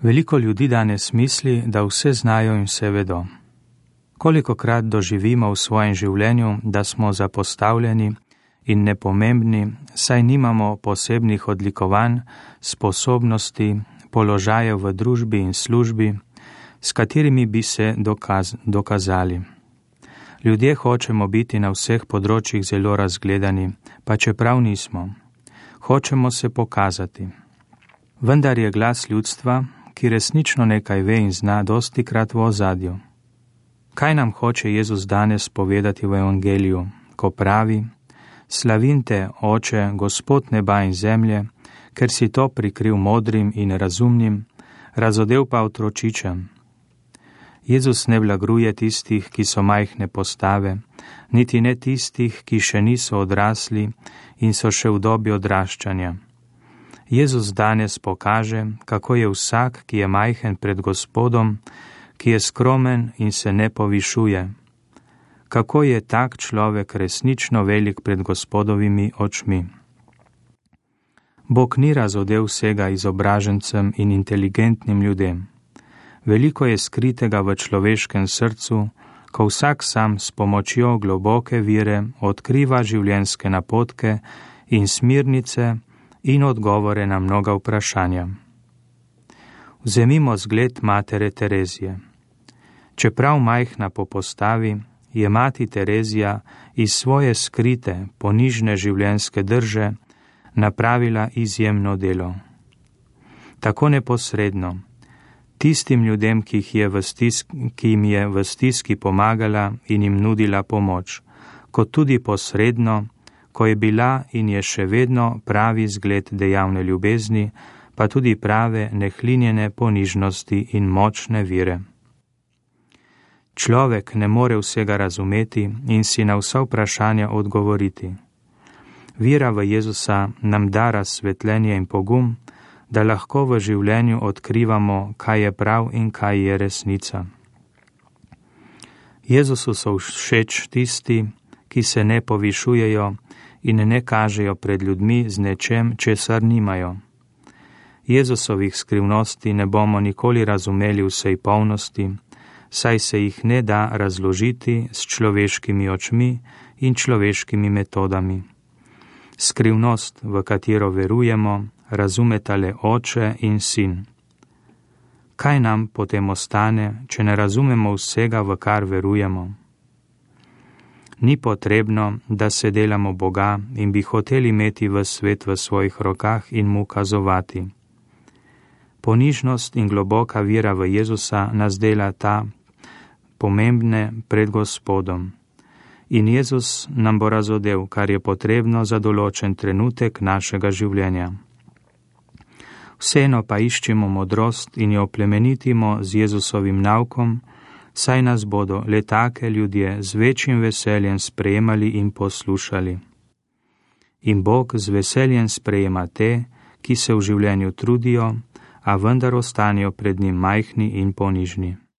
Veliko ljudi danes misli, da vse znajo in vse vedo. Kolikokrat doživimo v svojem življenju, da smo zapostavljeni in nepomembni, saj nimamo posebnih odlikovanj, sposobnosti, položajev v družbi in službi, s katerimi bi se dokazali. Ljudje hočemo biti na vseh področjih zelo razgledani, pa čeprav nismo. Hočemo se pokazati. Vendar je glas ljudstva, ki resnično nekaj ve in zna, dostikrat v ozadju. Kaj nam hoče Jezus danes povedati v evangeliju, ko pravi: Slavim te, Oče, Gospod neba in zemlje, ker si to prikril modrim in razumnim, razodel pa otročičem. Jezus ne blagruje tistih, ki so majhne postave, niti ne tistih, ki še niso odrasli in so še v dobi odraščanja. Jezus danes pokaže, kako je vsak, ki je majhen pred Gospodom, ki je skromen in se ne povišuje. Kako je tak človek resnično velik pred Gospodovimi očmi. Bog ni razodel vsega izobražencem in inteligentnim ljudem. Veliko je skritega v človeškem srcu, ko vsak sam s pomočjo globoke vire odkriva življenjske napotke in smernice in odgovore na mnoga vprašanja. Vzemimo zgled matere Terezije. Čeprav majhna po postavi, je mati Terezija iz svoje skrite, ponižne življenjske drže napravila izjemno delo. Tako neposredno, tistim ljudem, ki jim je v stiski pomagala in jim nudila pomoč, kot tudi posredno, ko je bila in je še vedno pravi zgled dejavne ljubezni, pa tudi prave nehlinjene ponižnosti in močne vire. Človek ne more vsega razumeti in si na vsa vprašanja odgovoriti. Vira v Jezusa nam da razsvetljenje in pogum, da lahko v življenju odkrivamo, kaj je prav in kaj je resnica. Jezusu so všeč tisti, ki se ne povišujejo in ne kažejo pred ljudmi z nečem, česar nimajo. Jezusovih skrivnosti ne bomo nikoli razumeli vsej polnosti, saj se jih ne da razložiti s človeškimi očmi in človeškimi metodami. Skrivnost, v katero verujemo, razumeta le Oče in Sin. Kaj nam potem ostane, če ne razumemo vsega, v kar verujemo? Ni potrebno, da se delamo Boga in bi hoteli imeti ves svet v svojih rokah in mu kazovati. Ponižnost in globoka vira v Jezusa nas dela ta pomembne pred Gospodom. In Jezus nam bo razodel, kar je potrebno za določen trenutek našega življenja. Vseeno pa iščimo modrost in jo plemenitimo z Jezusovim naukom, saj nas bodo le take ljudje z večjim veseljem sprejemali in poslušali. In Bog z veseljem sprejema te, ki se v življenju trudijo, a vendar ostanejo pred njim majhni in ponižni.